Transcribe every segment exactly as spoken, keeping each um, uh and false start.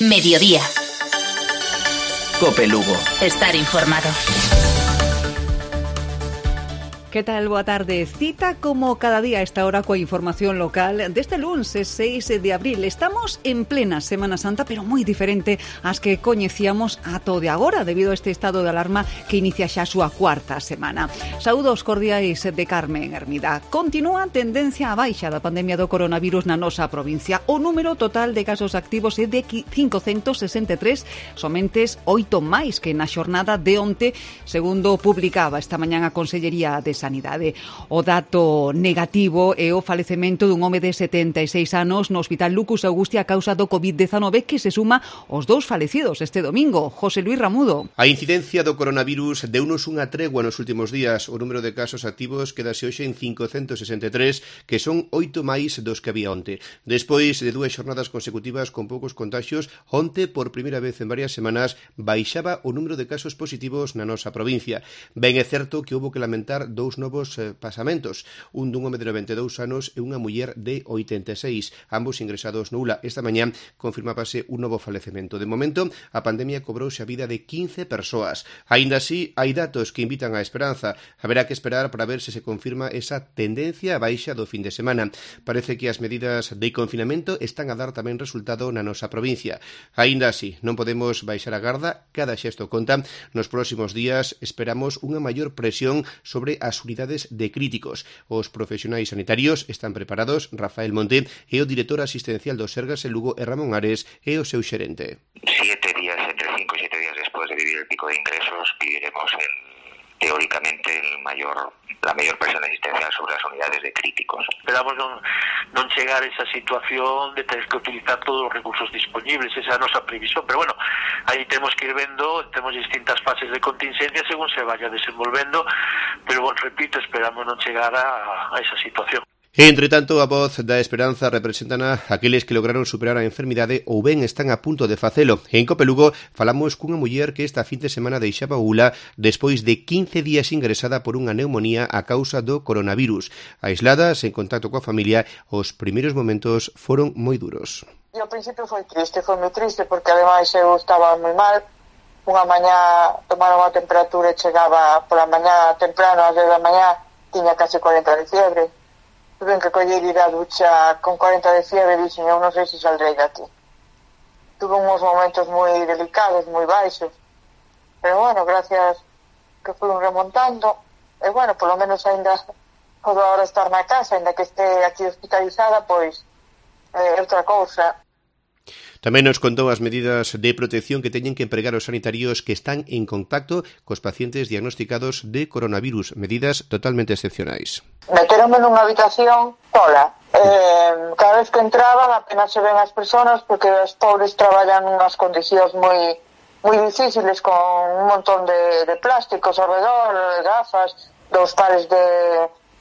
Mediodía. Cope Lugo. Estar informado. Que tal? Boa tarde. Cita como cada día a esta hora coa información local deste luns seis de abril. Estamos en plena Semana Santa, pero moi diferente ás que coñecíamos ata o de agora, debido a este estado de alarma que inicia xa a súa cuarta semana. Saúdos cordiais de Carmen Hermida. Continúa a tendencia a baixa da pandemia do coronavirus na nosa provincia. O número total de casos activos é de quinhentos sesenta e tres, somentes oito máis que na xornada de onte, segundo publicaba esta mañán a Consellería de Sanidade. O dato negativo é o falecemento dun home de setenta e seis anos no Hospital Lucus Augusti a causa do covid dezanove, que se suma aos dous falecidos este domingo. José Luis Ramudo. A incidencia do coronavirus deunos unha tregua nos últimos días. O número de casos activos quedase hoxe en quinhentos sesenta e tres, que son oito máis dos que había onte. Despois de dúas xornadas consecutivas con poucos contaxios, onte, por primeira vez en varias semanas, baixaba o número de casos positivos na nosa provincia. Ben é certo que houbo que lamentar dous novos eh, pasamentos, un dun home de noventa e dous anos e unha muller de oitenta e seis, ambos ingresados no U L A. Esta mañá confirmábase un novo falecemento. De momento, a pandemia cobrouse a vida de quince persoas. Aínda así, hai datos que invitan á esperanza. Haberá que esperar para ver se se confirma esa tendencia a baixa do fin de semana. Parece que as medidas de confinamento están a dar tamén resultado na nosa provincia. Aínda así, non podemos baixar a garda, cada xesto conta. Nos próximos días esperamos unha maior presión sobre as unidades de críticos. Os profesionais sanitarios están preparados. Rafael Monte é o director asistencial do Sergas en Lugo e Ramón Ares é o seu xerente. Siete días, entre cinco y siete días después de vivir el pico de ingresos, viviremos en, teóricamente el mayor, la mayor presión asistencial sobre las unidades de críticos. Esperamos non, non chegar a esa situación de ter que utilizar todos os recursos disponibles, esa é a nosa previsión, pero bueno, aí temos que ir vendo, temos distintas fases de contingencia según se vaya desenvolvendo, pero bueno, repito, esperamos non chegar a, a esa situación. Entre tanto, a voz da esperanza representan a aqueles que lograron superar a enfermidade ou ben están a punto de facelo. En Cope Lugo falamos cunha muller que esta fin de semana deixaba o U L A despois de quince días ingresada por unha neumonía a causa do coronavirus. Aislada, sen contacto coa familia, os primeiros momentos foron moi duros. E ao principio foi triste, foi moi triste, porque ademais eu estaba moi mal. Unha mañá tomaron a temperatura e chegaba pola mañá temprano, ás dez da mañá, tiña casi cuarenta de fiebre. Tuve que coller ir á ducha con cuarenta de fiebre e dixen, eu non sei se saldrei daqui. Tuve uns momentos moi delicados, moi baixos, pero bueno, gracias que fui remontando, e bueno, polo menos ainda podo agora estar na casa, ainda que este aquí hospitalizada, pois é outra cousa. Tamén nos contou as medidas de protección que teñen que empregar os sanitarios que están en contacto cos pacientes diagnosticados de coronavirus, medidas totalmente excepcionais. Meteronme nunha habitación sola. Eh, cada vez que entraban apenas se ven as persoas porque os pobres traballan nunhas condicións moi moi difíciles, con un montón de, de plásticos ao redor, gafas, dous pares de,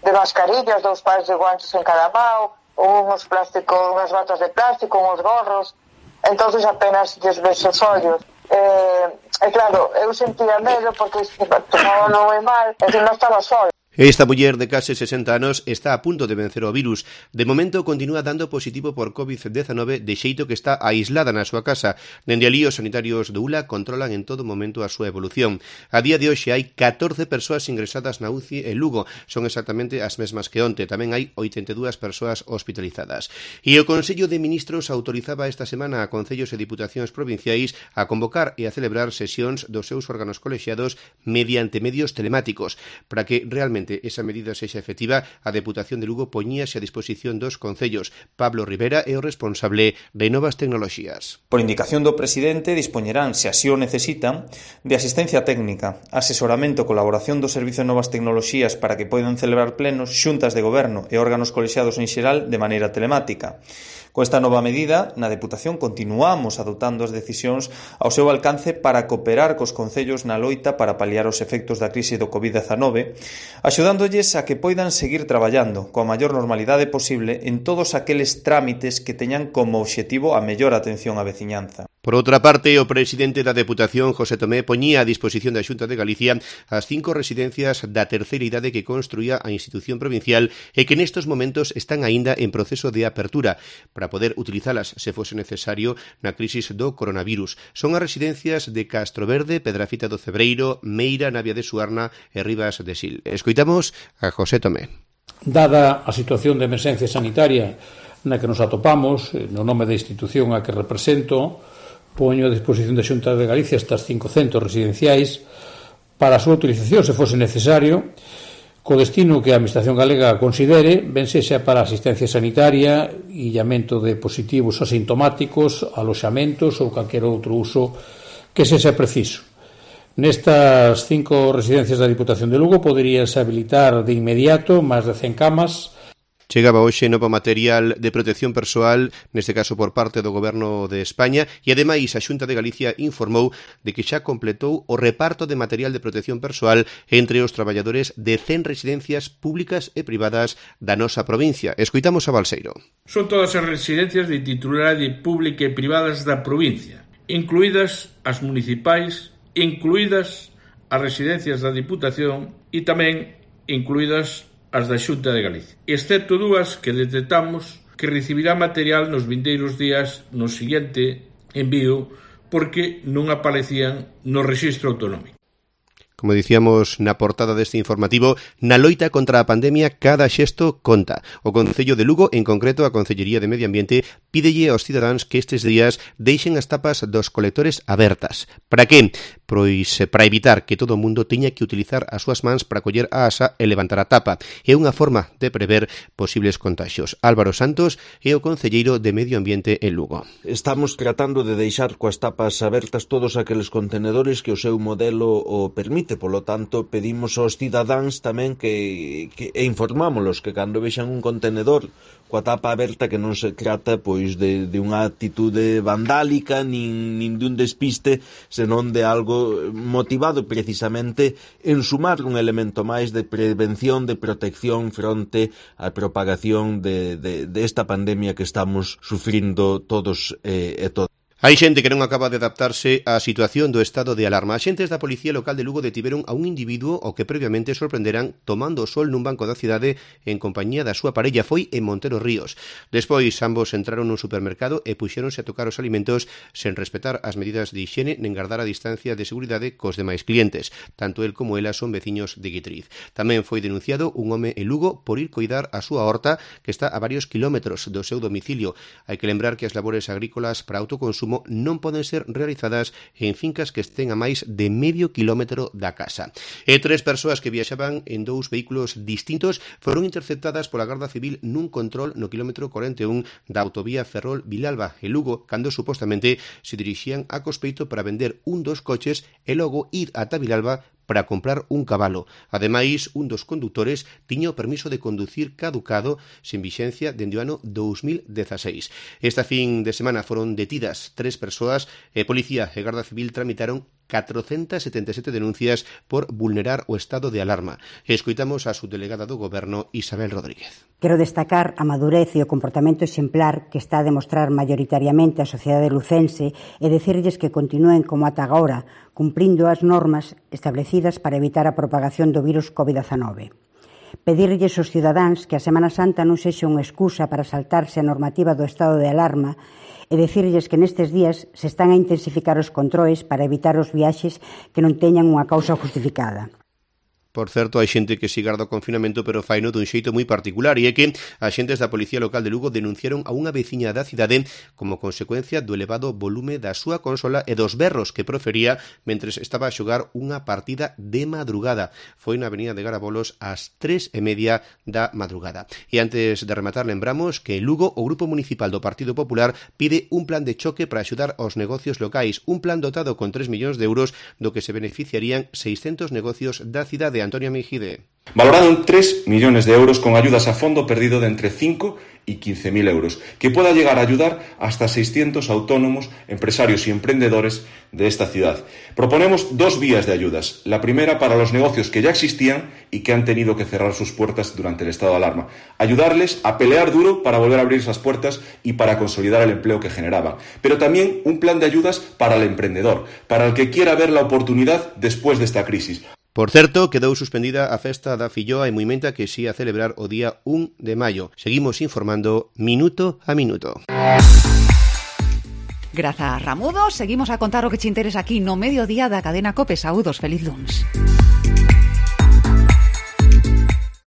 de mascarillas, dous pares de guantes en cada mão, unhos plásticos, unhas batas de plástico, uns gorros. Entonces apenas lles ves os ollos. Eh, e claro, eu sentía medo porque tomaba moi mal, e que non estaba sola. Esta muller de case sesenta anos está a punto de vencer o virus. De momento continúa dando positivo por covid dezanove, de xeito que está aislada na súa casa. Dende alí os sanitarios do U L A controlan en todo momento a súa evolución. A día de hoxe hai catorce persoas ingresadas na U C I en Lugo. Son exactamente as mesmas que onte. Tamén hai oitenta e dúas persoas hospitalizadas. E o Consello de Ministros autorizaba esta semana a concellos e diputacións provinciais a convocar e a celebrar sesións dos seus órganos colexiados mediante medios telemáticos. Para que realmente esa medida sexa efectiva, a Deputación de Lugo poñíase a disposición dos concellos. Pablo Rivera é o responsable de Novas Tecnoloxías. Por indicación do presidente, dispoñerán, se así o necesitan, de asistencia técnica, asesoramento e colaboración do Servizo de Novas Tecnoloxías para que poidan celebrar plenos, xuntas de goberno e órganos colexiados en xeral de maneira telemática. Con esta nova medida, na Deputación continuamos adoptando as decisións ao seu alcance para cooperar cos concellos na loita para paliar os efectos da crise do covid dezanove, axudándolles a que poidan seguir traballando coa maior normalidade posible en todos aqueles trámites que teñan como obxectivo a mellor atención á veciñanza. Por outra parte, o presidente da Deputación, José Tomé, poñía a disposición da Xunta de Galicia as cinco residencias da terceira idade que construía a institución provincial e que nestos momentos están aínda en proceso de apertura. Para para poder utilizalas se fose necesario na crisis do coronavirus. Son as residencias de Castroverde, Pedrafita do Cebreiro, Meira, Navia de Suarna e Rivas de Sil. Escoitamos a José Tomé. Dada a situación de emerxencia sanitaria na que nos atopamos, no nome da institución a que represento, poño a disposición da Xunta de Galicia estas cinco centros residenciais para a súa utilización, se fose necesario, co destino que a Administración Galega considere, ben sexa para asistencia sanitaria, illamento de positivos asintomáticos, aloxamentos ou calquer outro uso que sexa preciso. Nestas cinco residencias da Diputación de Lugo poderíase habilitar de inmediato máis de cen camas. Chegaba hoxe novo material de protección persoal, neste caso por parte do Goberno de España, e ademais a Xunta de Galicia informou de que xa completou o reparto de material de protección persoal entre os traballadores de cen residencias públicas e privadas da nosa provincia. Escoitamos a Balseiro. Son todas as residencias de titularidade pública e privadas da provincia, incluídas as municipais, incluídas as residencias da Diputación e tamén incluídas as da Xunta de Galicia, excepto dúas que detectamos que recibirá material nos vindeiros días no seguinte envío porque non aparecían no rexistro autonómico. Como dicíamos na portada deste informativo, na loita contra a pandemia cada xesto conta. O Concello de Lugo, en concreto a Concellería de Medio Ambiente, pídelle aos cidadáns que estes días deixen as tapas dos colectores abertas. Para que? Pois para evitar que todo o mundo teña que utilizar as súas mans para coller a asa e levantar a tapa. É unha forma de prever posibles contaxios. Álvaro Santos é o Concelleiro de Medio Ambiente en Lugo. Estamos tratando de deixar coas tapas abertas todos aqueles contenedores que o seu modelo o permite. Polo tanto, pedimos aos cidadáns tamén que, que e informámolos que cando vexan un contenedor coa tapa aberta que non se trata pois de, de unha actitude vandálica nin, nin de un despiste, senón de algo motivado precisamente en sumar un elemento máis de prevención, de protección fronte á propagación de, de, de esta pandemia que estamos sufrindo todos eh, e todas. Hai xente que non acaba de adaptarse á situación do estado de alarma. Axentes da Policía Local de Lugo detiveron a un individuo o que previamente sorprenderan tomando o sol nun banco da cidade en compañía da súa parella. Foi en Montero Ríos. Despois, ambos entraron nun supermercado e puxéronse a tocar os alimentos sen respetar as medidas de higiene nen guardar a distancia de seguridade cos demais clientes. Tanto el como ela son veciños de Guitriz. Tamén foi denunciado un home en Lugo por ir coidar a súa horta que está a varios kilómetros do seu domicilio. Hai que lembrar que as labores agrícolas para autoconsumo non poden ser realizadas en fincas que estén a máis de medio kilómetro da casa. E tres persoas que viaxaban en dous vehículos distintos foron interceptadas pola Garda Civil nun control no kilómetro cuarenta e un da autovía Ferrol-Vilalba e Lugo, cando supostamente se dirixían a Cospeito para vender un dos coches e logo ir ata Vilalba para comprar un cabalo. Ademais, un dos condutores tiña o permiso de conducir caducado sen vixencia dende o ano dous mil dezaseis. Esta fin de semana foron detidas tres persoas e Policía e Garda Civil tramitaron catrocentas setenta e sete denuncias por vulnerar o estado de alarma. Escoitamos a subdelegada do Goberno, Isabel Rodríguez. Quero destacar a madurez e o comportamento exemplar que está a demostrar maioritariamente a sociedade lucense e dicirlles que continúen como ata agora, cumprindo as normas establecidas para evitar a propagación do virus covid dezenove. Pedirlles aos cidadáns que a Semana Santa non sexa unha excusa para saltarse a normativa do estado de alarma e dicirlles que nestes días se están a intensificar os controis para evitar os viaxes que non teñan unha causa justificada. Por certo, hai xente que si garda o confinamento, pero faino dun xeito moi particular, e é que axentes da Policía Local de Lugo denunciaron a unha veciña da cidade como consecuencia do elevado volume da súa consola e dos berros que profería mentres estaba a xogar unha partida de madrugada. Foi na avenida de Garabolos ás tres e media da madrugada. E antes de rematar, lembramos que en Lugo o Grupo Municipal do Partido Popular pide un plan de choque para axudar aos negocios locais, un plan dotado con tres millóns de euros do que se beneficiarían seiscentos negocios da cidade. Antonio Mejide. Valorado en tres millones de euros con ayudas a fondo perdido de entre cinco y quince mil euros, que pueda llegar a ayudar hasta seiscientos autónomos, empresarios y emprendedores de esta ciudad. Proponemos dos vías de ayudas. La primera para los negocios que ya existían y que han tenido que cerrar sus puertas durante el estado de alarma. Ayudarles a pelear duro para volver a abrir esas puertas y para consolidar el empleo que generaban. Pero también un plan de ayudas para el emprendedor, para el que quiera ver la oportunidad después de esta crisis. Por certo, quedou suspendida a festa da Filloa e Muimenta que se ia celebrar o día un de maio. Seguimos informando minuto a minuto. Grazas, Ramudo. Seguimos a contar o que te interesa aquí no mediodía da cadena COPE. Saúdos, feliz luns.